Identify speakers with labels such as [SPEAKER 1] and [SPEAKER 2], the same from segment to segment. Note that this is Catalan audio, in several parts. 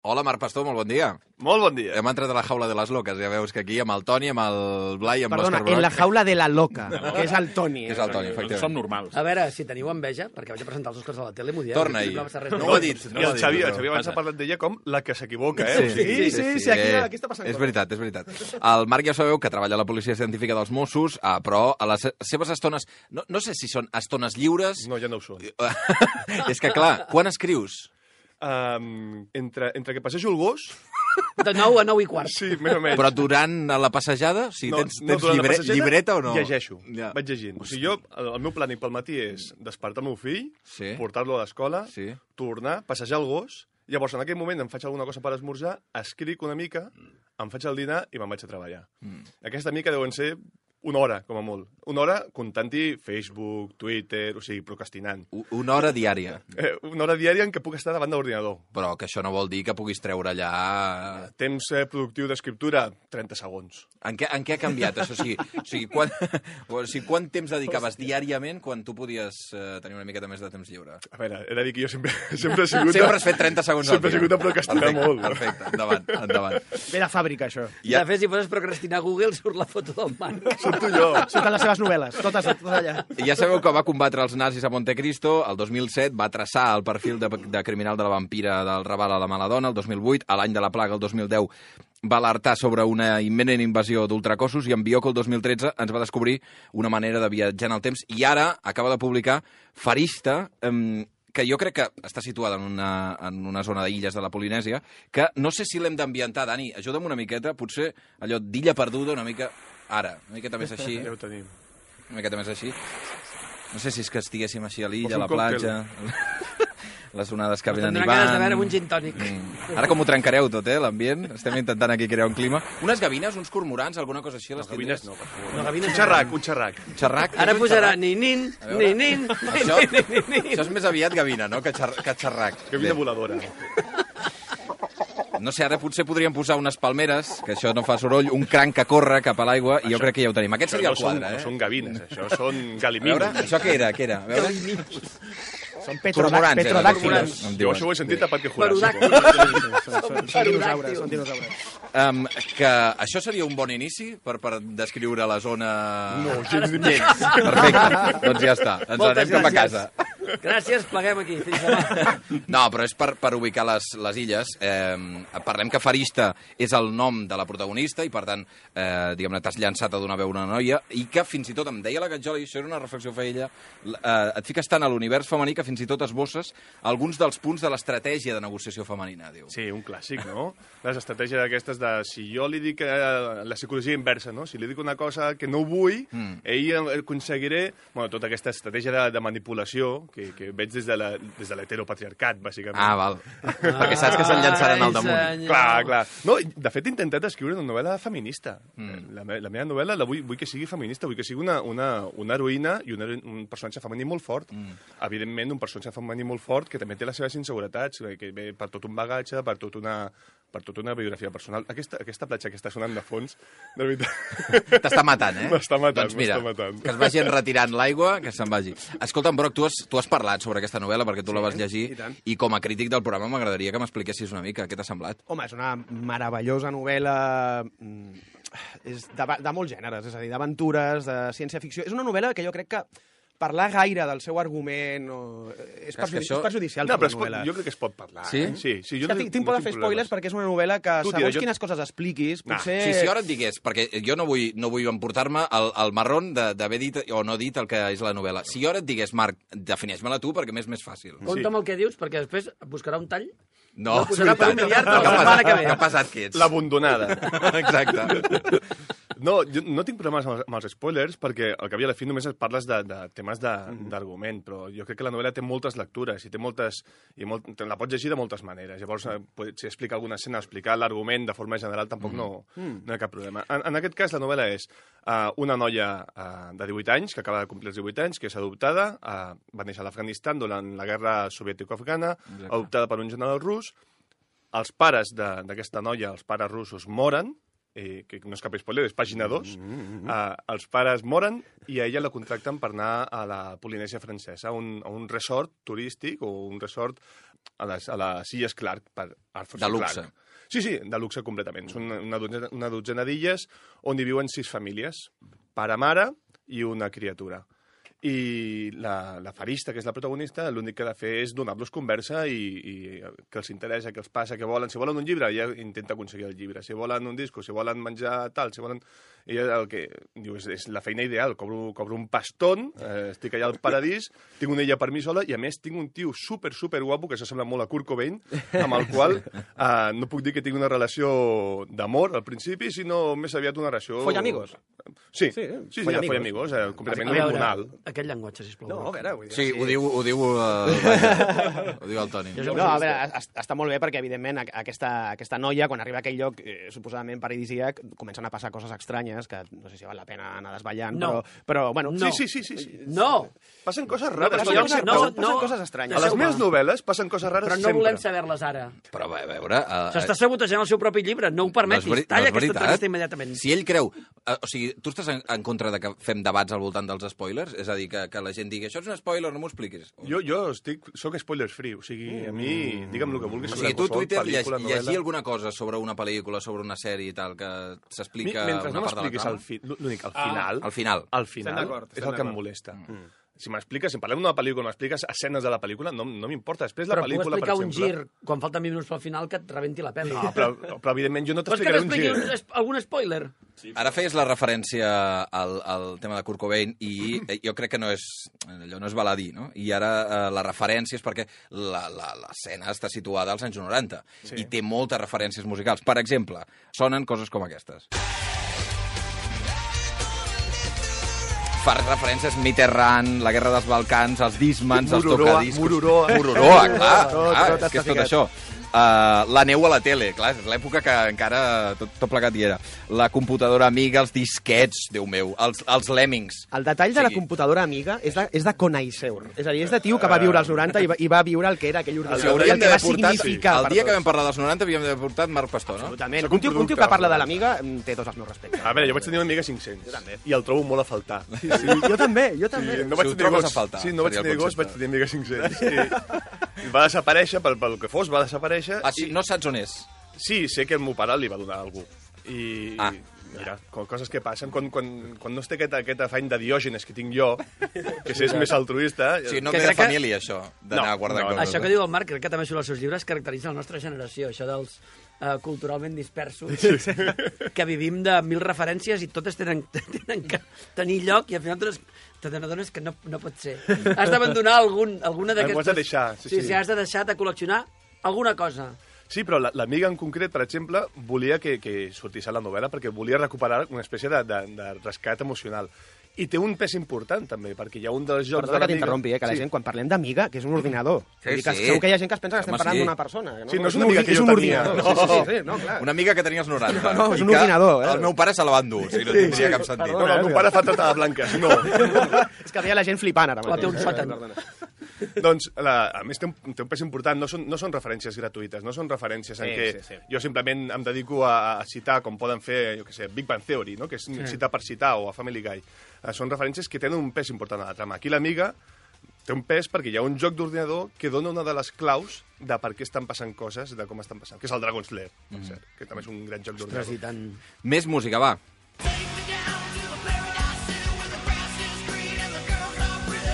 [SPEAKER 1] Hola, Marc Pastor, molt bon dia.
[SPEAKER 2] Molt bon dia.
[SPEAKER 1] Hem entrat a la jaula de les loques, ja veus que aquí amb el Toni, amb el Blai, amb l'Òscar
[SPEAKER 3] Perdona,
[SPEAKER 1] Broc...
[SPEAKER 3] en la jaula de la loca, que és el Toni.
[SPEAKER 1] Que és el Toni, efectivament.
[SPEAKER 4] Som normals.
[SPEAKER 5] A veure, si teniu enveja, perquè vaig a presentar els Oscars a la tele, m'ho dieu.
[SPEAKER 1] Torna-hi.
[SPEAKER 5] No ho ha dit.
[SPEAKER 2] I el Xavi abans ha parlat d'ella com la que s'equivoca, eh?
[SPEAKER 3] Sí, aquí està passant
[SPEAKER 1] És veritat, és veritat. El Marc ja sabeu que treballa a la policia científica dels Mossos, però a les seves estones... No sé si són estones lliures...
[SPEAKER 2] No, ja no ho són.
[SPEAKER 1] És que, clar, quan escrius?
[SPEAKER 2] Entre que passejo el gos...
[SPEAKER 5] De 9 a 9 i quart.
[SPEAKER 2] Sí, més o menys.
[SPEAKER 1] Però durant la passejada? O sigui, tens
[SPEAKER 2] durant la passejada,
[SPEAKER 1] llibreta o no?
[SPEAKER 2] Llegeixo,
[SPEAKER 1] Ja.
[SPEAKER 2] vaig llegint. O sigui, jo, el meu plànic pel matí és despertar el meu fill,
[SPEAKER 1] Sí.
[SPEAKER 2] portar-lo a l'escola,
[SPEAKER 1] Sí.
[SPEAKER 2] tornar, passejar el gos, llavors en aquell moment em faig alguna cosa per esmorzar, escric una mica, em faig el dinar i me'n vaig a treballar. Aquesta mica deuen ser una hora, com a molt. Una hora comptant-hi Facebook, Twitter, o sigui, procrastinant.
[SPEAKER 1] Una hora diària.
[SPEAKER 2] Una hora diària en què puc estar davant de l'ordinador.
[SPEAKER 1] Però que això no vol dir que puguis treure allà...
[SPEAKER 2] Temps productiu d'escriptura, 30 segons.
[SPEAKER 1] En què ha canviat, això? O sigui, quant temps dedicaves diàriament quan tu podies tenir una miqueta més de temps lliure?
[SPEAKER 2] A veure, he de dir que jo sempre he sigut...
[SPEAKER 1] Sempre has fet 30 segons al dia.
[SPEAKER 2] Sempre he sigut a procrastinar molt.
[SPEAKER 1] Perfecte, endavant.
[SPEAKER 3] Ve de fàbrica, això.
[SPEAKER 5] De fet, si poses procrastinar a Google, surt la foto del Marc.
[SPEAKER 2] Surto jo.
[SPEAKER 3] Surten les seves novel·les, totes allà.
[SPEAKER 1] Ja sabeu que va combatre els nazis a Montecristo, el 2007 va traçar el perfil de criminal de la vampira del Raval a la Maladona, el 2008, a l'any de la plaga, el 2010, va alertar sobre una imminent invasió d'ultracossos i en Bioko el 2013 ens va descobrir una manera de viatjar en el temps i ara acaba de publicar Farista, que jo crec que està situada en una zona d'illes de la Polinèsia, que no sé si l'hem d'ambientar, Dani, ajuda'm una miqueta, potser allò d'illa perduda una mica... Ara, una miqueta més així.
[SPEAKER 2] Ja ho tenim.
[SPEAKER 1] Una miqueta més així. No sé si és que estiguéssim així a l'illa, a la
[SPEAKER 2] Poso un
[SPEAKER 1] platja... Les onades que venen i
[SPEAKER 5] Tindran ganes de
[SPEAKER 1] van...
[SPEAKER 5] veure un gin tònic.
[SPEAKER 1] Ara com ho trencareu tot, l'ambient? Estem intentant aquí crear un clima. Unes gavines, uns cormorans, alguna cosa així?
[SPEAKER 2] Les gavines no, per favor.
[SPEAKER 5] No, gavines
[SPEAKER 2] Un xerrac, un xerrac.
[SPEAKER 1] Xerrac?
[SPEAKER 5] Ara
[SPEAKER 1] Un
[SPEAKER 5] posarà
[SPEAKER 1] xerrac?
[SPEAKER 5] nin-nin,
[SPEAKER 1] A veure.
[SPEAKER 5] nin-nin,
[SPEAKER 1] Això,
[SPEAKER 5] nin-nin.
[SPEAKER 1] això és més aviat gavina, no?, que xerrac.
[SPEAKER 2] Gavina
[SPEAKER 1] Bé.
[SPEAKER 2] voladora.
[SPEAKER 1] No sé, ara potser podríem posar unes palmeres, que això no fa soroll, un cranc que corre cap a l'aigua, i jo crec que ja ho tenim. Aquest seria el quadre,
[SPEAKER 2] No són gavines, això són
[SPEAKER 1] A veure,
[SPEAKER 2] galimins.
[SPEAKER 1] això què era? A veure...
[SPEAKER 3] Són
[SPEAKER 1] Cormorans,
[SPEAKER 3] petrodàctilos.
[SPEAKER 1] em
[SPEAKER 2] Jo
[SPEAKER 1] diuen.
[SPEAKER 2] això ho he sentit a Parque Jurásico.
[SPEAKER 3] Són dinosaures, són dinosaures.
[SPEAKER 1] Que això seria un bon inici per descriure la zona...
[SPEAKER 2] No, gens ni
[SPEAKER 1] Perfecte, doncs ja està. Ens
[SPEAKER 5] Moltes
[SPEAKER 1] anem cap a
[SPEAKER 5] gràcies.
[SPEAKER 1] casa.
[SPEAKER 5] Gràcies, pleguem aquí. Fins demà.
[SPEAKER 1] No, però és per ubicar les illes. Parlem que Farista és el nom de la protagonista i, per tant, diguem-ne, t'has llançat a donar veu a una noia i que fins i tot, em deia la Gatjoli, això era una reflexió que feia ella, et fiques tant a l'univers femení que fins i tot esbosses alguns dels punts de l'estratègia de negociació femenina, diu.
[SPEAKER 2] Sí, un clàssic, no? Les estratègies aquestes de si jo li dic la psicologia inversa, no? Si li dic una cosa que no vull, ell aconseguiré... Bueno, tota aquesta estratègia de manipulació que veig des de l'heteropatriarcat, bàsicament.
[SPEAKER 1] Ah, val. Perquè saps que se'n llançaran al damunt.
[SPEAKER 5] Senyor.
[SPEAKER 2] Clar, clar. No, de fet, he intentat escriure una novel·la feminista. La meva novel·la vull que sigui feminista, vull que sigui una heroïna i un personatge femení molt fort. Evidentment, un personatge femení molt fort que també té les seves inseguretats, que ve per tot un bagatge, per tota una biografia personal. Aquesta platja que està sonant de fons, de veritat...
[SPEAKER 1] T'està matant, eh?
[SPEAKER 2] M'està matant,
[SPEAKER 1] doncs mira,
[SPEAKER 2] m'està matant.
[SPEAKER 1] que es vagi retirant l'aigua, que se'n vagi. Escolta'm, Broc, tu has parlat sobre aquesta novel·la perquè tu la vas llegir
[SPEAKER 3] i tant.
[SPEAKER 1] i com a crític del programa m'agradaria que m'expliquessis una mica què t'ha semblat.
[SPEAKER 3] Home, és una meravellosa novel·la és de molts gèneres, és a dir, d'aventures, de ciència-ficció. És una novel·la que jo crec que parlar gaire del seu argument és perjudicial
[SPEAKER 2] No,
[SPEAKER 3] per
[SPEAKER 2] però
[SPEAKER 3] una novel·la.
[SPEAKER 2] jo crec que es pot parlar.
[SPEAKER 1] Sí?
[SPEAKER 2] Sí,
[SPEAKER 3] És que tinc por de fer spoilers perquè és una novel·la que
[SPEAKER 2] Tu,
[SPEAKER 3] segons
[SPEAKER 2] tio,
[SPEAKER 3] quines coses expliquis, potser...
[SPEAKER 1] Si ara et digués, perquè jo no vull emportar-me el marrón d'haver dit o no dit el que és la novel·la. Si jo ara et digués, Marc, defineix-me-la tu perquè m'és més fàcil.
[SPEAKER 5] Compte amb el que dius, perquè després buscarà un tall.
[SPEAKER 1] No,
[SPEAKER 5] La posarà per un miliard la
[SPEAKER 1] que
[SPEAKER 5] setmana que ve.
[SPEAKER 1] Que pesat que ets.
[SPEAKER 2] L'abandonada.
[SPEAKER 1] Exacte.
[SPEAKER 2] No, jo no tinc problemes amb els spoilers perquè al cap i a la fi només parles de temes d'argument, però jo crec que la novel·la té moltes lectures i la pots llegir de moltes maneres. Llavors, si explica alguna escena, explicar l'argument de forma general tampoc no hi ha cap problema. En aquest cas, la novel·la és una noia de 18 anys, que acaba de complir els 18 anys, que és adoptada, va néixer a l'Afganistan durant la guerra soviètico-afgana, adoptada per un general rus. Els pares d'aquesta noia, els pares russos, moren, que no és cap spoiler, és pàgina 2, els pares moren i a ella la contracten per anar a la Polinèsia francesa, a un resort turístic o un resort a les Illes Clark per Arthur C.
[SPEAKER 1] De luxe.
[SPEAKER 2] Clarke. Sí, de luxe completament. Són una dotzena d'illes on hi viuen 6 famílies, pare, mare i una criatura. I la Farista, que és la protagonista, l'únic que ha de fer és donar-los conversa i que els interessa, que els passa, que volen. Si volen un llibre, ella intenta aconseguir el llibre. Si volen un disco, si volen menjar tal, si volen... Ella el que diu és la feina ideal. Cobro un pastón, estic allà al paradís, tinc una illa per mi sola i, a més, tinc un tio super guapo, que s'assembla molt a Kurt Cobain, amb el qual no puc dir que tingui una relació d'amor al principi, sinó més aviat una relació...
[SPEAKER 3] Follamigos.
[SPEAKER 2] Sí, follamigos, completament hormonal.
[SPEAKER 5] Aquest llenguatge, sisplau.
[SPEAKER 3] No, a veure... Vull dir,
[SPEAKER 1] Sí, ho diu el Toni.
[SPEAKER 3] No, a veure, està molt bé perquè, evidentment, aquesta noia, quan arriba a aquell lloc suposadament paradisíac, comencen a passar coses estranyes que no sé si val la pena anar desvetllant,
[SPEAKER 5] No.
[SPEAKER 3] però bueno...
[SPEAKER 5] No.
[SPEAKER 2] Sí.
[SPEAKER 5] No!
[SPEAKER 2] Passen coses rares.
[SPEAKER 3] Passen coses estranyes.
[SPEAKER 2] A les meves novel·les passen coses rares
[SPEAKER 5] Però no
[SPEAKER 2] sempre.
[SPEAKER 5] volem saber-les ara.
[SPEAKER 1] Però a veure...
[SPEAKER 5] S'està sabotejant el seu propi llibre, no ho permetis. Talla aquesta entrevista immediatament.
[SPEAKER 1] Si ell creu... O sigui, tu estàs en contra de que fem debats al voltant dels spoilers? És a dir, que la gent digui, això és un spoiler, no m'ho expliquis.
[SPEAKER 2] Jo soc spoilers free, o sigui, a mi, digue'm el que vulguis.
[SPEAKER 1] O sigui, tu a Twitter
[SPEAKER 2] pel·lícula,
[SPEAKER 1] llegir
[SPEAKER 2] novel·la.
[SPEAKER 1] alguna cosa sobre una pel·lícula, sobre una sèrie i tal, que s'explica
[SPEAKER 2] Mentre
[SPEAKER 1] una
[SPEAKER 2] no
[SPEAKER 1] part de la
[SPEAKER 2] m'expliquis
[SPEAKER 1] trama?
[SPEAKER 2] l'únic, al final...
[SPEAKER 1] Al final.
[SPEAKER 2] Al final
[SPEAKER 3] d'acord,
[SPEAKER 2] és el que em molesta. Si m'expliques, si parlem d'una pel·lícula, m'expliques escenes de la pel·lícula, no m'importa. Després la
[SPEAKER 5] Però puc
[SPEAKER 2] pel·lícula, per
[SPEAKER 5] explicar un
[SPEAKER 2] exemple...
[SPEAKER 5] gir, quan falten 20 minuts pel final, que et rebenti la pell.
[SPEAKER 2] No, però evidentment jo no
[SPEAKER 5] Vols que
[SPEAKER 2] t'explicaré un gir.
[SPEAKER 5] t'expliqui algun spoiler?
[SPEAKER 1] Ara feies la referència al tema de Kurt Cobain i jo crec que allò no és baladí, no? I ara la referència és perquè l'escena està situada als anys 90 i té moltes referències musicals. Per exemple, sonen coses com aquestes. Fa referències Mitterrand, la Guerra dels Balcans, els Discmans, els tocadiscos... Mururoa, clar, és que és tot això. La neu a la tele, clar, és l'època que encara tot plegat hi era. La computadora amiga, els disquets, Déu meu, els lemmings.
[SPEAKER 3] El detall de la computadora amiga és de Conaiseur. És a dir, és de tio que va viure als 90 i va viure el que era aquell ordinador i el que va significar.
[SPEAKER 1] El dia que vam parlar dels 90 havíem d'haver portat Marc Pastor, no?
[SPEAKER 3] Absolutament. Un tio que parla de l'amiga té tots els meus respectes.
[SPEAKER 2] A veure, jo vaig tenir una amiga 500.
[SPEAKER 3] Jo també.
[SPEAKER 2] I el trobo molt a faltar.
[SPEAKER 3] Sí, jo també.
[SPEAKER 2] No
[SPEAKER 1] Si
[SPEAKER 2] vaig
[SPEAKER 1] ho
[SPEAKER 2] tenir
[SPEAKER 1] trobes
[SPEAKER 2] gos.
[SPEAKER 1] a faltar,
[SPEAKER 2] Sí, no vaig
[SPEAKER 1] seria el
[SPEAKER 2] tenir gos,
[SPEAKER 1] concepte.
[SPEAKER 2] vaig tenir amiga 500. I va desaparèixer, pel que fos, va desaparèixer.
[SPEAKER 1] Ah, sí, no saps on és?
[SPEAKER 2] Sí, sé que el meu pare li va donar a algú. I mira, coses que passen. Quan no es té aquest afany de Diògenes que tinc jo, que és més altruista...
[SPEAKER 1] Sí, no
[SPEAKER 5] Que
[SPEAKER 1] ve de
[SPEAKER 5] crec que-
[SPEAKER 1] família, això, d'anar guardant coses.
[SPEAKER 5] Això que diu el Marc, crec que també surt als seus llibres, caracteritza la nostra generació, això dels culturalment dispersos, que vivim de 1000 referències i totes tenen que tenir lloc i al final te n'adones que no pot ser. Has d'abandonar alguna d'aquestes...
[SPEAKER 2] Ho has de deixar, sí.
[SPEAKER 5] Has de deixar de col·leccionar alguna cosa.
[SPEAKER 2] Sí, però l'amiga en concret, per exemple, volia que sortís a la novel·la perquè volia recuperar una espècie de rescat emocional. I té un pes important, també, perquè hi ha un dels jocs
[SPEAKER 3] Perdona
[SPEAKER 2] de
[SPEAKER 3] que
[SPEAKER 2] l'amiga...
[SPEAKER 3] t'interrompi, que la gent, quan parlem d'amiga, que és un ordinador.
[SPEAKER 1] Sí,
[SPEAKER 3] Vull dir que
[SPEAKER 1] sí.
[SPEAKER 3] segur que hi ha gent que es pensa que estem
[SPEAKER 1] Home,
[SPEAKER 3] parlant
[SPEAKER 1] sí.
[SPEAKER 3] d'una persona.
[SPEAKER 2] Sí, no és una amiga que
[SPEAKER 3] és
[SPEAKER 2] jo
[SPEAKER 3] un
[SPEAKER 2] tenia.
[SPEAKER 3] ordinador. Sí, no, clar.
[SPEAKER 1] Una amiga que tenia els 90.
[SPEAKER 3] No, és un
[SPEAKER 1] i que
[SPEAKER 3] ordinador,
[SPEAKER 1] El meu pare se la va endur, o sigui, no tindria cap sentit.
[SPEAKER 2] No, el meu pare fa tota de blanques, no.
[SPEAKER 3] És que veia la gent flipant ara
[SPEAKER 5] O té un sòtan.
[SPEAKER 2] Doncs, a més, té un pes important. No són referències gratuïtes, no són referències en què jo simplement em dedico a citar, com poden fer, jo què sé, Big Bang Theory, no? Que és citar per citar, o a Family Guy. Són referències que tenen un pes important a la trama. Aquí l'amiga té un pes perquè hi ha un joc d'ordinador que dona una de les claus de per què estan passant coses, de com estan passant, que és el Dragon's Lair, per cert, que també és un gran joc
[SPEAKER 5] Ostres, i
[SPEAKER 2] d'ordinador.
[SPEAKER 5] tant...
[SPEAKER 1] Més música, va.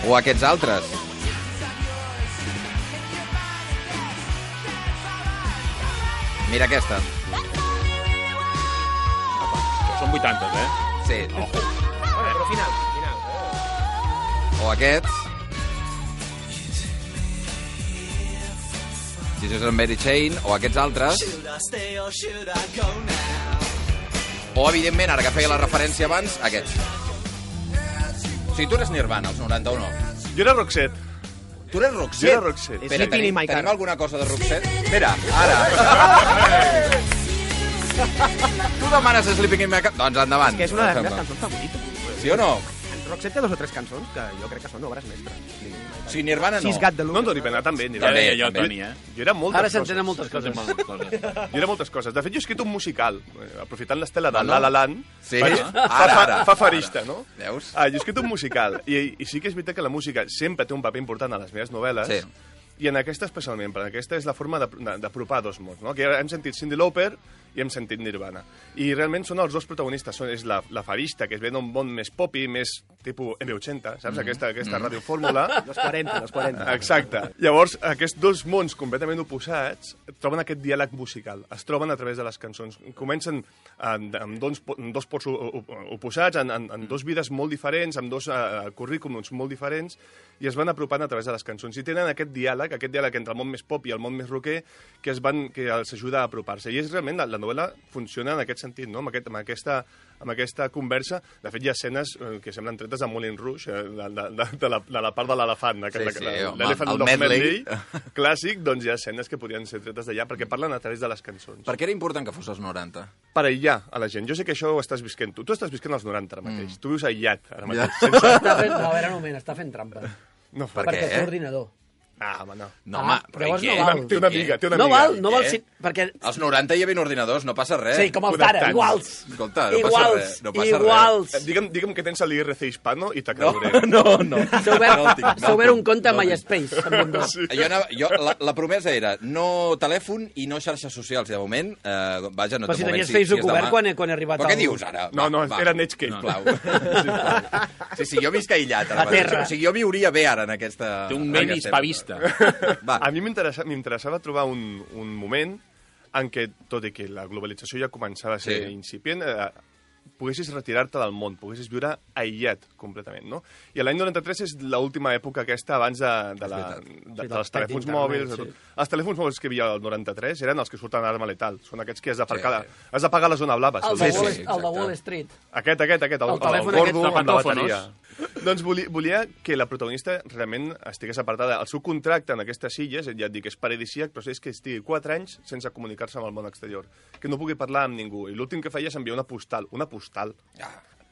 [SPEAKER 1] O aquests altres. Mira aquesta.
[SPEAKER 2] Són 80,
[SPEAKER 1] Sí.
[SPEAKER 3] Però final.
[SPEAKER 1] O aquests. Jesus and Mary Chain. O aquests altres. O, evidentment, ara que feia la referència abans, aquests. O sigui, tu eres Nirvana, als 91.
[SPEAKER 2] Jo era Roxette.
[SPEAKER 1] Tu eres
[SPEAKER 2] Jo
[SPEAKER 1] Roxette?
[SPEAKER 2] era Roxette.
[SPEAKER 3] És Sleeping in my car.
[SPEAKER 1] Tenim alguna cosa de Roxette? Mira, ara. Tu demanes Sleeping in my car? Doncs endavant.
[SPEAKER 3] És que és una de les meves cançons favorites.
[SPEAKER 1] Sí o no?
[SPEAKER 3] Roxette té 2 o 3 cançons que jo crec que són obres mestres.
[SPEAKER 1] Sí, Nirvana no.
[SPEAKER 3] Sis Gat de
[SPEAKER 2] No, Nirvana també.
[SPEAKER 1] També,
[SPEAKER 4] jo,
[SPEAKER 1] també.
[SPEAKER 4] Toni,
[SPEAKER 2] Jo era moltes
[SPEAKER 5] Ara
[SPEAKER 2] coses.
[SPEAKER 5] s'entenen moltes coses.
[SPEAKER 2] Jo era moltes coses. De fet, jo he escrit un musical, aprofitant l'estela de
[SPEAKER 1] No?
[SPEAKER 2] La La Land.
[SPEAKER 1] Sí?
[SPEAKER 2] Faig-
[SPEAKER 1] Ara.
[SPEAKER 2] Fa farista, no?
[SPEAKER 1] Veus?
[SPEAKER 2] Jo he escrit un musical, i sí que és veritat que la música sempre té un paper important a les meves novel·les,
[SPEAKER 1] Sí.
[SPEAKER 2] i en aquesta especialment, perquè aquesta és la forma d'apropar dos mons, no? Que hem sentit Cyndi Lauper i hem sentit Nirvana. I realment són els dos protagonistes, és la farista, que es ve d'un món més popi, més tipus M80, saps? Aquesta radiofórmula.
[SPEAKER 3] Los 40.
[SPEAKER 2] Exacte. Llavors, aquests dos mons completament oposats troben aquest diàleg musical. Es troben a través de les cançons. Comencen amb dos ports oposats, en dos vides molt diferents, amb dos currículums molt diferents, i es van apropant a través de les cançons. I tenen aquest diàleg entre el món més pop i el món més rocker, que els ajuda a apropar-se. I és realment, la novel·la funciona en aquest sentit, no? Amb aquesta conversa. De fet, hi ha escenes que semblen tretes de Moulin Rouge, de la part de l'elefant, l'Elephant
[SPEAKER 1] el
[SPEAKER 2] Dog
[SPEAKER 1] medley.
[SPEAKER 2] clàssic, doncs hi ha escenes que podrien ser tretes d'allà, perquè parlen a través de les cançons.
[SPEAKER 1] Per què era important que fos als 90?
[SPEAKER 2] Per aïllar a la gent. Jo sé que això ho estàs visquent tu. Tu estàs visquent als 90 ara mateix. Tu vius aïllat ara mateix.
[SPEAKER 5] No, a veure, un moment, està fent trampa.
[SPEAKER 2] No
[SPEAKER 1] Per
[SPEAKER 2] fa
[SPEAKER 1] què?
[SPEAKER 5] Perquè té ordinador.
[SPEAKER 2] home, no.
[SPEAKER 1] No, home, però
[SPEAKER 5] llavors
[SPEAKER 1] i què?
[SPEAKER 5] no val.
[SPEAKER 2] Té una amiga.
[SPEAKER 5] No val,
[SPEAKER 1] Què?
[SPEAKER 5] perquè...
[SPEAKER 1] Als 90 hi havia ordinadors, no passa res.
[SPEAKER 5] Sí, com els d'ara,
[SPEAKER 2] Connectats.
[SPEAKER 5] iguals.
[SPEAKER 1] Escolta, no passa res. No passa
[SPEAKER 5] Iguals.
[SPEAKER 2] Digue'm que tens l'IRC hispano i te
[SPEAKER 1] res.
[SPEAKER 2] creuré.
[SPEAKER 1] No.
[SPEAKER 5] S'ha obert un compte a MySpace.
[SPEAKER 2] Sí.
[SPEAKER 1] La promesa era no telèfon i no xarxes socials. I de moment, vaja, no
[SPEAKER 5] Però si
[SPEAKER 1] de moment,
[SPEAKER 5] tenies Facebook
[SPEAKER 1] demà.
[SPEAKER 5] obert quan he arribat
[SPEAKER 1] Però què
[SPEAKER 5] al-
[SPEAKER 1] dius ara?
[SPEAKER 2] No, era Netscape.
[SPEAKER 1] Sisplau. Sí, jo visc aïllat.
[SPEAKER 5] A terra.
[SPEAKER 1] O sigui, jo viuria bé ara en aquesta...
[SPEAKER 4] Té un
[SPEAKER 1] en
[SPEAKER 4] mail
[SPEAKER 1] aquesta
[SPEAKER 4] hispavista.
[SPEAKER 1] època. Va,
[SPEAKER 2] A mi m'interessava trobar un moment en què, tot i que la globalització ja començava a ser
[SPEAKER 1] Sí.
[SPEAKER 2] incipient, poguessis retirar-te del món, poguessis viure aïllat completament, no? I l'any 93 és l'última època aquesta abans dels telèfons mòbils. De tot.
[SPEAKER 5] sí.
[SPEAKER 2] Els telèfons mòbils que hi havia al 93 eren els que surten a l'arma letal. Són aquests que has d'apagar la zona blava.
[SPEAKER 5] El
[SPEAKER 2] se'ls
[SPEAKER 5] de
[SPEAKER 2] diu.
[SPEAKER 5] Wall,
[SPEAKER 1] sí,
[SPEAKER 5] el de
[SPEAKER 1] exacte.
[SPEAKER 5] Wall Street.
[SPEAKER 2] Aquest, el
[SPEAKER 5] telèfon
[SPEAKER 2] gordo
[SPEAKER 5] aquest,
[SPEAKER 2] amb la
[SPEAKER 4] tapatòfonos.
[SPEAKER 2] bateria. Doncs volia que la protagonista realment estigués apartada. El seu contracte en aquestes illes, ja et dic, és paradisíac, però és que estigui 4 anys sense comunicar-se amb el món exterior. Que no pugui parlar amb ningú. I l'últim que feia és enviar una postal.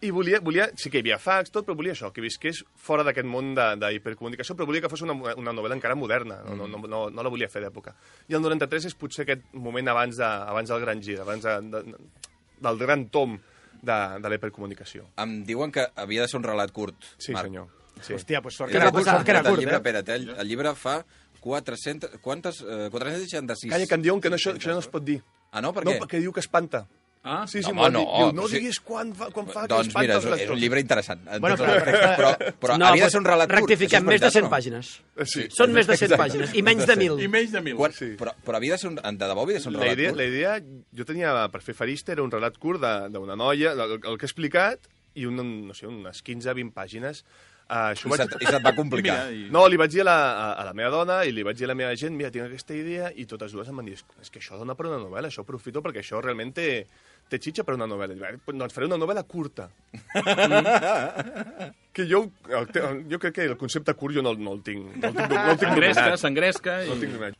[SPEAKER 2] I volia, sí que hi havia fax, tot, però volia això, que visqués fora d'aquest món d'hipercomunicació, però volia que fos una novel·la encara moderna, no la volia fer d'època. I el 93 és potser aquest moment abans del gran gir, abans del gran tom de la hipercomunicació.
[SPEAKER 1] em diuen que havia de ser un relat curt,
[SPEAKER 2] Sí,
[SPEAKER 1] Marc.
[SPEAKER 2] senyor. Sí.
[SPEAKER 3] Hòstia, pues sort
[SPEAKER 5] Què
[SPEAKER 3] que
[SPEAKER 5] va
[SPEAKER 3] era curt,
[SPEAKER 5] passar?
[SPEAKER 3] sort que era
[SPEAKER 1] El
[SPEAKER 3] curt,
[SPEAKER 1] llibre,
[SPEAKER 3] eh?
[SPEAKER 1] espera't, el llibre fa 466.
[SPEAKER 2] Calla, que em diuen que això no es pot dir.
[SPEAKER 1] Ah, no? Per
[SPEAKER 2] No,
[SPEAKER 1] què?
[SPEAKER 2] perquè diu que espanta.
[SPEAKER 4] Ah,
[SPEAKER 2] Sí,
[SPEAKER 1] No,
[SPEAKER 2] m'ho han
[SPEAKER 1] home,
[SPEAKER 2] dit.
[SPEAKER 1] no,
[SPEAKER 2] Diu, no
[SPEAKER 1] sí.
[SPEAKER 2] diguis quan fa que
[SPEAKER 1] Doncs
[SPEAKER 2] espanta
[SPEAKER 1] mira,
[SPEAKER 2] els
[SPEAKER 1] és
[SPEAKER 2] lectors.
[SPEAKER 1] un llibre interessant. En
[SPEAKER 3] Bueno,
[SPEAKER 1] tots els aspectes, però
[SPEAKER 5] No,
[SPEAKER 1] havia de
[SPEAKER 5] pues
[SPEAKER 1] ser un relat curt.
[SPEAKER 5] rectifiquem,
[SPEAKER 1] això és
[SPEAKER 5] més de
[SPEAKER 1] veritat,
[SPEAKER 5] 100
[SPEAKER 1] no?
[SPEAKER 5] pàgines.
[SPEAKER 2] Sí.
[SPEAKER 5] Són més de 100
[SPEAKER 1] Exacte.
[SPEAKER 5] pàgines, i menys de 1.000.
[SPEAKER 4] I menys de 1.000.
[SPEAKER 1] Quan,
[SPEAKER 2] Sí.
[SPEAKER 1] però havia de ser de debò havia de ser un
[SPEAKER 2] La
[SPEAKER 1] relat
[SPEAKER 2] idea,
[SPEAKER 1] curt.
[SPEAKER 2] jo tenia, per fer farista, era un relat curt d'una noia, el que he explicat, i no sé, unes 15-20 pàgines. Això
[SPEAKER 1] I se't va complicar.
[SPEAKER 4] Mira,
[SPEAKER 2] No, li vaig dir a la meva dona i li vaig dir a la meva gent, mira, tinc aquesta idea, i totes dues em van dir, és que això dona per una novel·la, això aprofito perquè això realment té xitxa per una novel·la. I vaig dir, doncs faré una novel·la curta. Que jo crec que el concepte curt jo no el tinc. No el tinc dominat.
[SPEAKER 4] S'engresca
[SPEAKER 2] No el
[SPEAKER 4] i...
[SPEAKER 2] tinc dominat.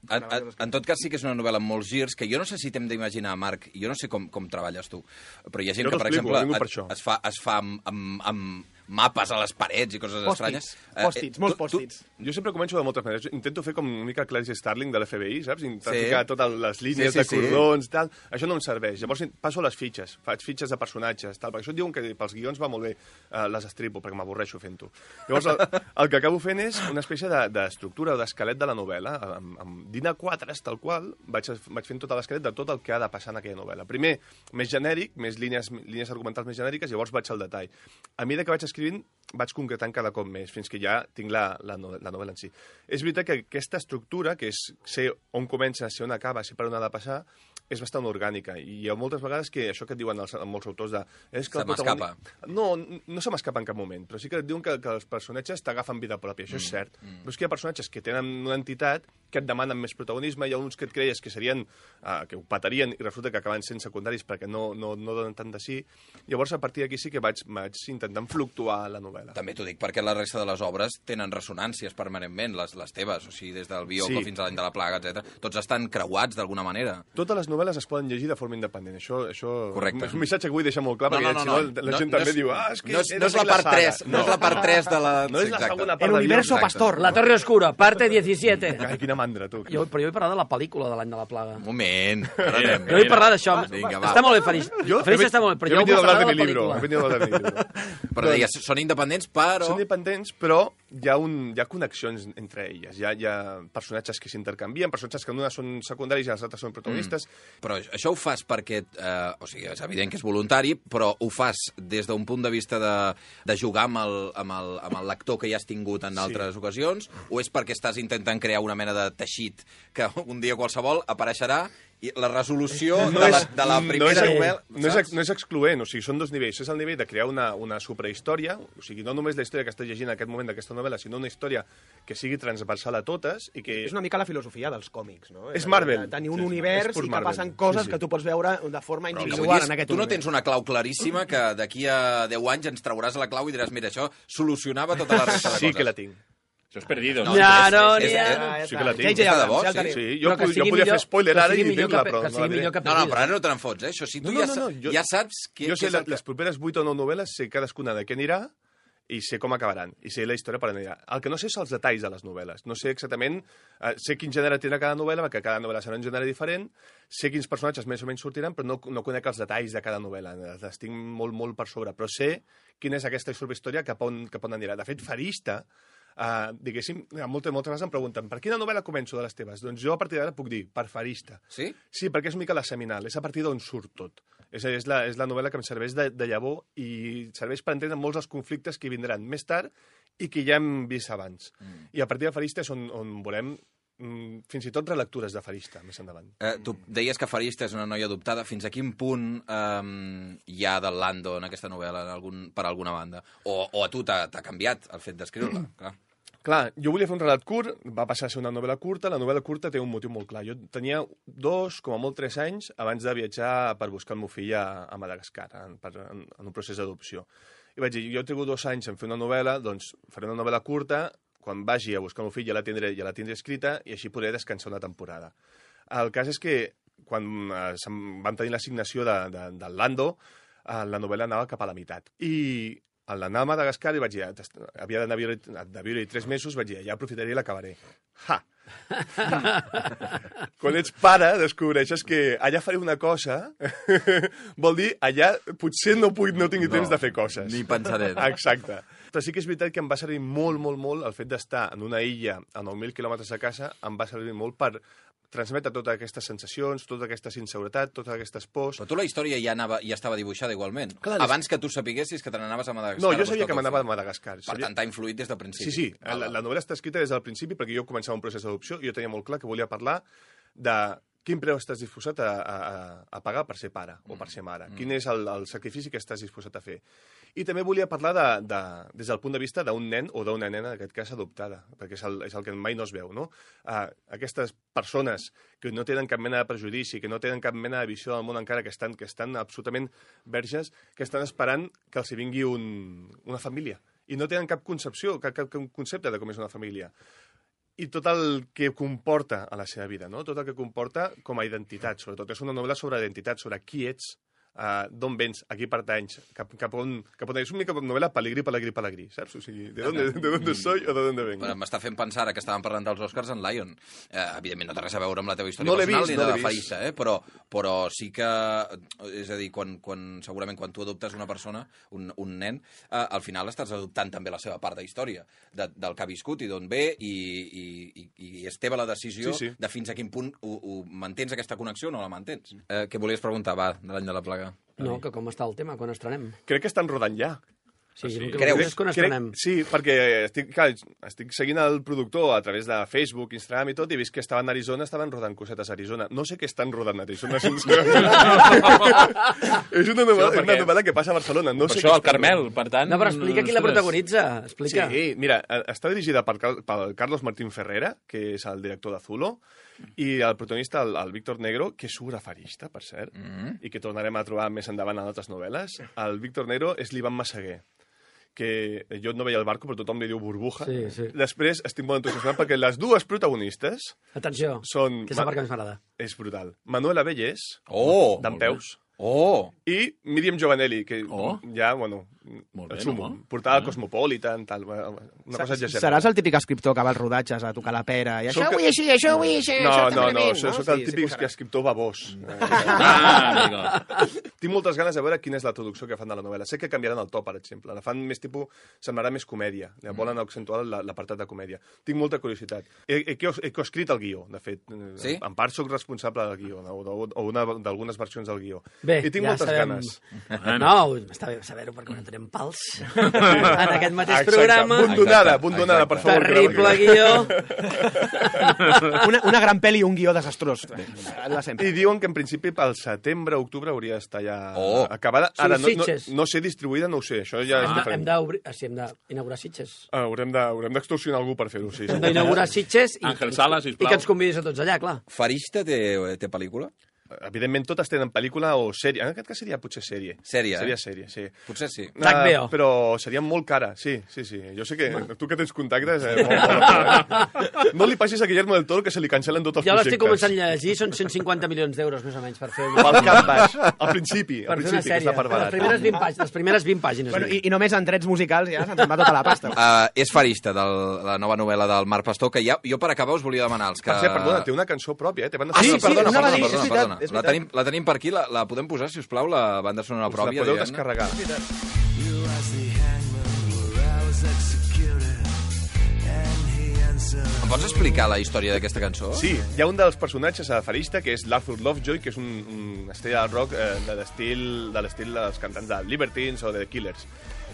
[SPEAKER 1] En tot cas, sí que és una novel·la amb molts girs, que jo no sé si t'hem d'imaginar, Marc, jo no sé com treballes tu, però hi ha gent
[SPEAKER 2] Jo
[SPEAKER 1] que, per
[SPEAKER 2] t'explico,
[SPEAKER 1] exemple,
[SPEAKER 2] vinc per això.
[SPEAKER 1] es fa amb mapes a les parets i coses estranyes.
[SPEAKER 3] Post-its, molts post-its.
[SPEAKER 2] Jo sempre començo de moltes maneres. Intento fer com una mica Clarice Starling de l'FBI, saps? Intentar
[SPEAKER 1] Sí.
[SPEAKER 2] ficar totes les línies
[SPEAKER 1] Sí,
[SPEAKER 2] de
[SPEAKER 1] sí,
[SPEAKER 2] cordons, tal. Això no em serveix. Llavors passo les fitxes, faig fitxes de personatges, tal, perquè això et diuen que pels guions va molt bé, les estripo, perquè m'avorreixo fent-ho. Llavors, el que acabo fent és una espècie d'estructura o d'esquelet de la novel·la. Amb DIN A4, tal qual, vaig fent tot l'esquelet de tot el que ha de passar en aquella novel·la. Primer, més genèric, més línies argumentals més genèriques, llavors vaig al detall. A mesura que vaig escrivint, vaig concretant cada cop més, fins que ja tinc la novel·la en si. És veritat que aquesta estructura, que és ser on comença, ser on acaba, ser per on ha de passar, és bastant orgànica. I hi ha moltes vegades que això que et diuen molts autors de... És que
[SPEAKER 1] Se m'escapa.
[SPEAKER 2] No se m'escapa en cap moment, però sí que et diuen que els personatges t'agafen vida pròpia, això és cert. Però és que hi ha personatges que tenen una entitat que et demanen més protagonisme, hi ha uns que et creies que serien, que ho patarien, i resulta que acaben sent secundaris perquè no donen tant de sí. Llavors, a partir d'aquí sí que vaig intentant fluctuar la novel·la.
[SPEAKER 1] També t'ho dic perquè la resta de les obres tenen ressonàncies permanentment, les teves, o sigui, des del Bioko
[SPEAKER 2] Sí.
[SPEAKER 1] fins a l'any de la plaga, etc. Tots estan creuats d'alguna manera.
[SPEAKER 2] Totes les novel·les novel·les es poden llegir de forma independent. Això
[SPEAKER 1] Correcte.
[SPEAKER 2] és un missatge que vull deixar molt clar, perquè la gent també diu és que
[SPEAKER 1] no és la part 3, no és la part 3 de la...
[SPEAKER 2] No és la segona part
[SPEAKER 3] El universo pastor.
[SPEAKER 5] La Torre Oscura, parte 17.
[SPEAKER 2] Ai, quina mandra, tu.
[SPEAKER 5] Però jo vull parlar de la pel·lícula de l'any de la plaga.
[SPEAKER 1] Un moment. Ara anem.
[SPEAKER 5] Jo vull parlar d'això.
[SPEAKER 1] Vinga, va.
[SPEAKER 5] Està molt bé, Farista. Farista està molt bé, però jo vull parlar de la pel·lícula.
[SPEAKER 1] Però deies, són independents, però...
[SPEAKER 2] Són independents, però hi ha connexions entre elles. Hi ha personatges que s'intercanvien, personatges que una són secundaris i els altres són protagonistes.
[SPEAKER 1] Però això ho fas perquè... o sigui, és evident que és voluntari, però ho fas des d'un punt de vista de jugar amb el lector que ja has tingut en altres ocasions, o és perquè estàs intentant crear una mena de teixit que un dia qualsevol apareixerà i la resolució de la primera novel·la...
[SPEAKER 2] No és excloent, o sigui, són dos nivells. És el nivell de crear una superhistòria, o sigui, no només la història que estàs llegint en aquest moment d'aquesta novel·la, sinó una història que sigui transversal a totes i que...
[SPEAKER 3] És una mica la filosofia dels còmics, no?
[SPEAKER 2] És Marvel.
[SPEAKER 3] Tenir un univers i que passen coses que tu pots veure de forma individual en aquest
[SPEAKER 1] univers. Tu no
[SPEAKER 3] univers.
[SPEAKER 1] tens una clau claríssima que d'aquí a 10 anys ens trauràs la clau i diràs, mira, això solucionava tota la resta de coses.
[SPEAKER 2] Sí que la tinc.
[SPEAKER 4] Això és perdido, no?
[SPEAKER 2] Sí que la tinc.
[SPEAKER 3] Ja
[SPEAKER 1] de debò,
[SPEAKER 2] Sí, jo podria fer spoiler ara i dir-la, però no la diré.
[SPEAKER 1] No, però ara no te n'enfots, eh? Això sí, tu ja saps que...
[SPEAKER 2] Jo sé les properes 8 o 9 novel·les, sé cadascuna de què anirà i sé com acabaran, i sé la història per on anirà. El que no sé són els detalls de les novel·les. No sé exactament... sé quin gènere tindrà cada novel·la, perquè cada novel·la serà un gènere diferent, sé quins personatges més o menys sortiran, però no conec els detalls de cada novel·la. Les tinc molt, molt per sobre, però sé quina és aquesta superhistòria cap on anirà. De fet, Farista... diguéssim, moltes vegades em pregunten per quina novel·la començo de les teves? Doncs jo a partir d'ara puc dir, per Farista.
[SPEAKER 1] Sí?
[SPEAKER 2] Sí, perquè és una mica la seminal, és a partir d'on surt tot. És la novel·la que em serveix de llavor i serveix per entendre molts dels conflictes que vindran més tard i que ja hem vist abans. I a partir de Farista és on volem fins i tot relectures de Farista més endavant.
[SPEAKER 1] Tu deies que Farista és una noia adoptada. Fins a quin punt hi ha del Lando en aquesta novel·la per alguna banda? O a tu t'ha canviat el fet d'escriure-la?
[SPEAKER 2] Clar, jo volia fer un relat curt, va passar a ser una novel·la curta. La novel·la curta té un motiu molt clar. Jo tenia 2, com a molt 3 anys, abans de viatjar per buscar el meu fill a Madagascar, en un procés d'adopció. I vaig dir, jo he trigut 2 anys en fer una novel·la, doncs faré una novel·la curta, quan vagi a buscar el meu fill ja la tindré escrita i així podré descansar una temporada. El cas és que quan vam tenir l'assignació del Lando, la novel·la anava cap a la meitat. I a l'anar a Madagascar i vaig dir, havia de viure-hi 3 mesos, vaig dir, ja aprofitaré i l'acabaré. Ha! Quan ets pare, descobreixes que allà faré una cosa, vol dir, allà potser no tingui temps de fer coses.
[SPEAKER 1] Ni pensaré.
[SPEAKER 2] Exacte. Però sí que és veritat que em va servir molt, molt, molt el fet d'estar en una illa a 9.000 quilòmetres de casa, em va servir molt per transmetre totes aquestes sensacions, tota aquesta inseguretat, totes aquestes pors.
[SPEAKER 1] Però tu la història ja estava dibuixada igualment.
[SPEAKER 2] Clar,
[SPEAKER 1] abans que tu sapiguessis que te n'anaves a Madagascar.
[SPEAKER 2] No, jo sabia que m'anava a Madagascar.
[SPEAKER 1] Per tant, t'ha influït des del principi.
[SPEAKER 2] Sí. La novel·la està escrita des del principi perquè jo començava un procés d'adopció i jo tenia molt clar que volia parlar de quin preu estàs disposat a pagar per ser pare o per ser mare. Quin és el sacrifici que estàs disposat a fer. I també volia parlar des del punt de vista d'un nen o d'una nena, en aquest cas adoptada, perquè és el que mai no es veu, no? Aquestes persones que no tenen cap mena de prejudici, que no tenen cap mena de visió del món encara, que estan absolutament verges, que estan esperant que els hi vingui una família. I no tenen cap concepció, cap concepte de com és una família. I tot el que comporta a la seva vida, no? Tot el que comporta com a identitat, sobretot. És una novel·la sobre identitat, sobre qui ets, d'on vens, a qui pertanys, cap on... És una mica novel·la pelegrí, saps? O sigui, de dónde soy o de dónde vengo.
[SPEAKER 1] M'està fent pensar, ara que estàvem parlant dels Oscars, en Lion. Evidentment, no té res a veure amb la teva història personal ni de la Farista, però sí que... És a dir, segurament quan tu adoptes una persona, un nen, al final estàs adoptant també la seva part de història, del que ha viscut i d'on ve, i és teva la decisió de fins a quin punt mantens aquesta connexió o no la mantens. Què volies preguntar, va, de l'any de la plaga?
[SPEAKER 5] No, que com està el tema, quan estrenem?
[SPEAKER 2] Crec que estan rodant ja.
[SPEAKER 5] Sí, el que és quan estrenem.
[SPEAKER 2] Sí, perquè estic seguint el productor a través de Facebook, Instagram i tot, i he vist que estaven a Arizona, estaven rodant cosetes a Arizona. No sé què estan rodant a Arizona, sincerament. És una novel·la que passa a Barcelona.
[SPEAKER 4] Per això, el Carmel, per tant...
[SPEAKER 5] No, però explica qui la protagonitza. Explica.
[SPEAKER 2] Sí, mira, està dirigida pel Carlos Martín Ferrera, que és el director de Zulo, i el protagonista, el Víctor Negro, que surt a Farista, per cert, i que tornarem a trobar més endavant en altres novel·les. El Víctor Negro és l'Ivan Massaguer, que jo no veia el barco, però tothom li diu burbuja.
[SPEAKER 5] Sí.
[SPEAKER 2] Després estic molt entusiasmat perquè les dues protagonistes
[SPEAKER 5] Atenció,
[SPEAKER 2] són...
[SPEAKER 5] que és la part que més m'agrada.
[SPEAKER 2] És brutal. Manuela Bellés,
[SPEAKER 1] Molt
[SPEAKER 2] Peus,
[SPEAKER 1] bé.
[SPEAKER 2] i Míriam Giovanelli, que ja, bueno,
[SPEAKER 4] Molt bé,
[SPEAKER 2] el sumo.
[SPEAKER 4] no?
[SPEAKER 2] Portada al Cosmopolitan, tal, una cosa exagerada.
[SPEAKER 3] Seràs el típic escriptor que va als rodatges a tocar la pera i això
[SPEAKER 2] Soc-
[SPEAKER 3] vull així, això vull així,
[SPEAKER 2] No,
[SPEAKER 3] això
[SPEAKER 2] no,
[SPEAKER 3] també
[SPEAKER 2] soc el típic
[SPEAKER 3] posarà.
[SPEAKER 2] escriptor babós.
[SPEAKER 4] Amigo.
[SPEAKER 2] Tinc moltes ganes de veure quina és la traducció que fan de la novel·la. Sé que canviaran el to, per exemple. La fan més tipus... Semblarà més comèdia. Volen accentuar l'apartat de comèdia. Tinc molta curiositat. He coescrit el guió, de fet.
[SPEAKER 1] Sí?
[SPEAKER 2] En part sóc responsable del guió, o d'algunes versions del guió.
[SPEAKER 5] Bé,
[SPEAKER 2] I tinc
[SPEAKER 5] ja
[SPEAKER 2] moltes
[SPEAKER 5] sabem...
[SPEAKER 2] ganes.
[SPEAKER 5] No, està bé saber-ho perquè no tenim pals en aquest mateix programa.
[SPEAKER 2] Abandonada, per favor.
[SPEAKER 5] Terrible guió.
[SPEAKER 3] Una gran pel·li i un guió desastrós. La sempre.
[SPEAKER 2] I diuen que en principi pel setembre, octubre hauria d'estar ja acabada.
[SPEAKER 5] Sí,
[SPEAKER 2] Ara,
[SPEAKER 5] Sitges.
[SPEAKER 2] no sé distribuïda, no ho sé, això ja és diferent.
[SPEAKER 5] Hem d'inaugurar Sitges.
[SPEAKER 2] Haurem d'extorsionar algú per fer-ho, sí.
[SPEAKER 5] Hem d'inaugurar Sitges
[SPEAKER 4] Àngel Sala, sisplau.
[SPEAKER 5] i que ens convidis a tots allà, clar.
[SPEAKER 1] Farista té pel·lícula?
[SPEAKER 2] Evidentment, totes tenen pel·lícula o sèrie. En aquest cas seria potser sèrie.
[SPEAKER 1] Sèrie,
[SPEAKER 2] Seria sèrie, sí.
[SPEAKER 1] Potser sí.
[SPEAKER 5] HBO.
[SPEAKER 2] Però seria molt cara, sí. Jo sé que tu que tens contactes... No li passis a Guillermo del Toro que se li cancel·len tots els
[SPEAKER 5] Jo
[SPEAKER 2] projectes.
[SPEAKER 5] l'estic començant a llegir, són 150 milions d'euros, més o menys, per fer una...
[SPEAKER 2] Pel cap baix, al principi,
[SPEAKER 5] Per fer una
[SPEAKER 2] que
[SPEAKER 5] sèrie.
[SPEAKER 2] està per barat.
[SPEAKER 5] Les primeres 20 pàgines.
[SPEAKER 3] Bueno, i només en drets musicals ja se'n va tota la pasta.
[SPEAKER 1] És Farista, de la nova novel·la del Marc Pastor, que jo per acabar us volia demanar els que...
[SPEAKER 2] Per cert, perdona, té una cançó pròpia, té banda
[SPEAKER 3] sí,
[SPEAKER 2] sonora.
[SPEAKER 3] perdona,
[SPEAKER 1] perdona,
[SPEAKER 3] és veritat, és veritat.
[SPEAKER 1] La tenim per aquí, la podem posar, si us plau, la banda sonora
[SPEAKER 2] Us la
[SPEAKER 1] pròpia.
[SPEAKER 2] podeu
[SPEAKER 1] diguem-ne?
[SPEAKER 2] descarregar.
[SPEAKER 1] Em pots explicar la història d'aquesta cançó?
[SPEAKER 2] Sí, hi ha un dels personatges a Farista, que és l'Arthur Lovejoy, que és un estrella del rock de l'estil dels cantants de Libertines o de Killers.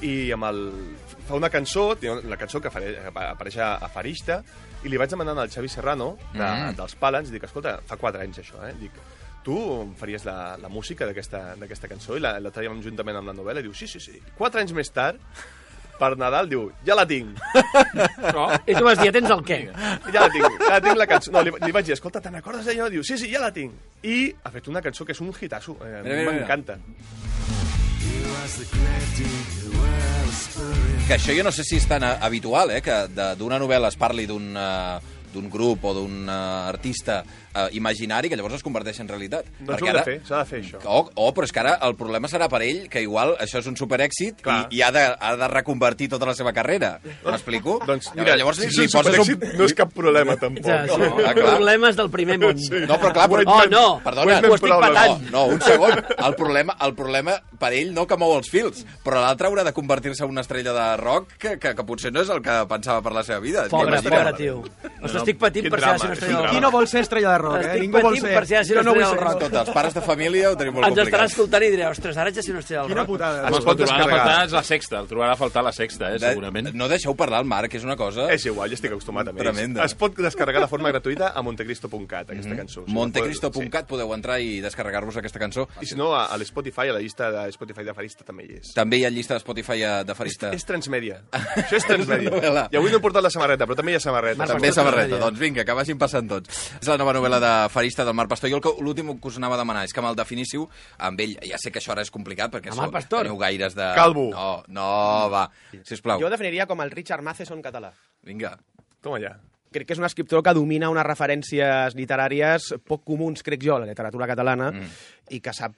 [SPEAKER 2] I fa una cançó, la cançó que apareix a Farista, i li vaig demanar al Xavi Serrano, dels Palans, dic, escolta, fa 4 anys això, dic, tu faries la música d'aquesta cançó i la traiem juntament amb la novel·la? I diu, sí. 4 anys més tard, per Nadal, diu, ja la tinc.
[SPEAKER 5] I tu vas dir, tens el què?
[SPEAKER 2] Ja la tinc la cançó. No, li vaig dir, escolta, te n'acordes d'allò? Diu, sí, ja la tinc. I ha fet una cançó que és un hitasso. M'encanta.
[SPEAKER 1] Que això jo no sé si és tan habitual, que d'una novel·la es parli d'un grup o d'un artista imaginari que llavors es converteix en realitat.
[SPEAKER 2] Doncs s'ha de fer això.
[SPEAKER 1] Però és que ara el problema serà per ell, que igual això és un superèxit i ha de reconvertir tota la seva carrera. M'explico?
[SPEAKER 2] Doncs mira,
[SPEAKER 1] llavors
[SPEAKER 2] si és un superèxit no és cap problema, tampoc.
[SPEAKER 5] Problemes del primer món.
[SPEAKER 1] No, però clar...
[SPEAKER 2] Perdona,
[SPEAKER 5] ho estic patant.
[SPEAKER 1] No, un segon. El problema per ell no que mou els fils, però l'altre haurà de convertir-se en una estrella de rock que potser no és el que pensava per la seva vida.
[SPEAKER 5] Pobre tio. Estic patint per ser una estrella del rock.
[SPEAKER 3] Qui no vol ser estrella de rock,
[SPEAKER 5] Estic
[SPEAKER 3] Ningú vol
[SPEAKER 5] patint
[SPEAKER 3] ser.
[SPEAKER 5] per ser una estrella del rock.
[SPEAKER 1] Tots els pares de família ho tenim molt
[SPEAKER 5] Ens estarà
[SPEAKER 1] complicat.
[SPEAKER 5] escoltant i diré, ostres, ara haig de ser una estrella del
[SPEAKER 3] Quina
[SPEAKER 5] rock.
[SPEAKER 3] putada.
[SPEAKER 2] Es pot
[SPEAKER 4] El trobarà a
[SPEAKER 2] descarregar.
[SPEAKER 4] faltar és la sexta, el trobarà a faltar la sexta, segurament.
[SPEAKER 1] No deixeu parlar al Marc, és una cosa...
[SPEAKER 2] És igual, ja estic acostumat a ells.
[SPEAKER 1] Tremenda.
[SPEAKER 2] Es pot descarregar de forma gratuïta a montecristo.cat, aquesta cançó.
[SPEAKER 1] Montecristo.cat podeu entrar i descarregar-vos aquesta cançó.
[SPEAKER 2] I si no, a l'Spotify, a la llista de Spotify de Farista també hi és.
[SPEAKER 1] També hi ha llista de Spotify de Farista.
[SPEAKER 2] És transmèdia. Això és transmèdia.
[SPEAKER 1] novel·la.
[SPEAKER 2] I avui no he portat la samarreta, però també hi ha samarreta.
[SPEAKER 1] També samarreta. Doncs vinga, que vagin passant tots. És la nova novel·la de Farista del Marc Pastor. Jo l'últim que us anava a demanar és que me'l definíssiu amb ell. Ja sé que això ara és complicat perquè
[SPEAKER 5] Amb Marc Pastor?
[SPEAKER 1] teniu gaires de...
[SPEAKER 2] Calvo.
[SPEAKER 1] No, va, sisplau.
[SPEAKER 3] Jo definiria com el Richard Matheson català.
[SPEAKER 1] Vinga.
[SPEAKER 2] Toma ja.
[SPEAKER 3] Crec que és un escriptor que domina unes referències literàries poc comuns, crec jo, a la literatura catalana, i que sap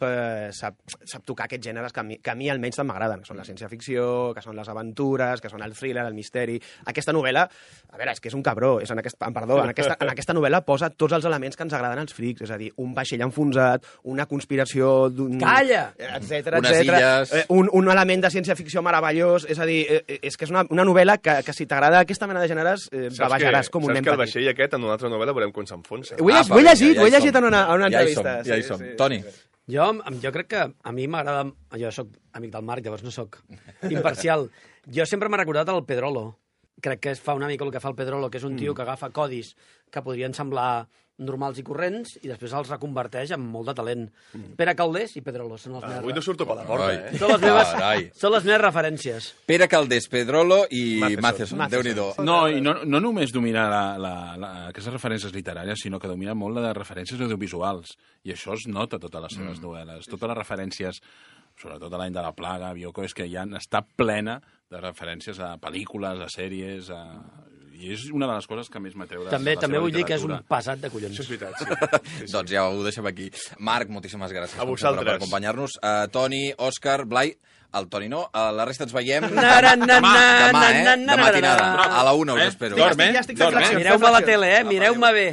[SPEAKER 3] tocar aquests gèneres que a mi almenys tant m'agraden, que són la ciència-ficció, que són les aventures, que són el thriller, el misteri. Aquesta novel·la, a veure, és que és un cabró, en aquesta novel·la posa tots els elements que ens agraden als frics, és a dir, un vaixell enfonsat, una conspiració d'un...
[SPEAKER 5] Calla!
[SPEAKER 3] Etcètera,
[SPEAKER 1] Unes illes.
[SPEAKER 3] un element de ciència-ficció meravellós, és a dir, és que és una novel·la que si t'agrada aquesta mena de gèneres, bavejaràs com un nen
[SPEAKER 2] Saps que el
[SPEAKER 3] petit.
[SPEAKER 2] vaixell aquest, en una altra novel·la, veurem com s'enfonsa.
[SPEAKER 3] Ho he llegit en una entrevista.
[SPEAKER 1] Ja hi som. Toni.
[SPEAKER 5] Jo crec que a mi m'agrada... Jo sóc amic del Marc, llavors no sóc imparcial. Jo sempre m'ha recordat el Pedrolo. Crec que fa una mica el que fa el Pedrolo, que és un tio que agafa codis que podrien semblar normals i corrents i després els reconverteix amb molt de talent. Pere Caldés i Pedrolo són els
[SPEAKER 2] Avui no
[SPEAKER 5] meus...
[SPEAKER 2] surto per la porta,
[SPEAKER 1] Ai.
[SPEAKER 5] Són les meves referències.
[SPEAKER 1] Pere Caldés, Pedrolo i
[SPEAKER 2] Matheson.
[SPEAKER 1] Matheson. Déu-n'hi-do.
[SPEAKER 4] No, i no només domina aquestes referències literàries, sinó que domina molt les referències audiovisuals. I això es nota a totes les seves novel·les. Totes les referències sobretot l'any de la plaga, Bioko, és que ja està plena de referències a pel·lícules, a sèries, i és una de les coses que més m'atreu de la seva
[SPEAKER 5] També vull dir que és un
[SPEAKER 4] literatura.
[SPEAKER 5] passat de collons.
[SPEAKER 2] Això és veritat, sí.
[SPEAKER 1] Doncs ja ho deixem aquí. Marc, moltíssimes gràcies
[SPEAKER 2] A
[SPEAKER 1] com sempre, per
[SPEAKER 2] vosaltres.
[SPEAKER 1] acompanyar-nos. Toni, Òscar, Blai, el Toni no, la resta ens veiem
[SPEAKER 5] Na, na, na,
[SPEAKER 1] demà,
[SPEAKER 5] na,
[SPEAKER 1] demà,
[SPEAKER 5] na, na,
[SPEAKER 1] de matinada.
[SPEAKER 5] na, na.
[SPEAKER 1] A la 1 us espero.
[SPEAKER 4] Dorm,
[SPEAKER 3] Ja estic fent
[SPEAKER 4] dorm,
[SPEAKER 3] flexions.
[SPEAKER 5] Mireu-me la tele, mireu-me bé.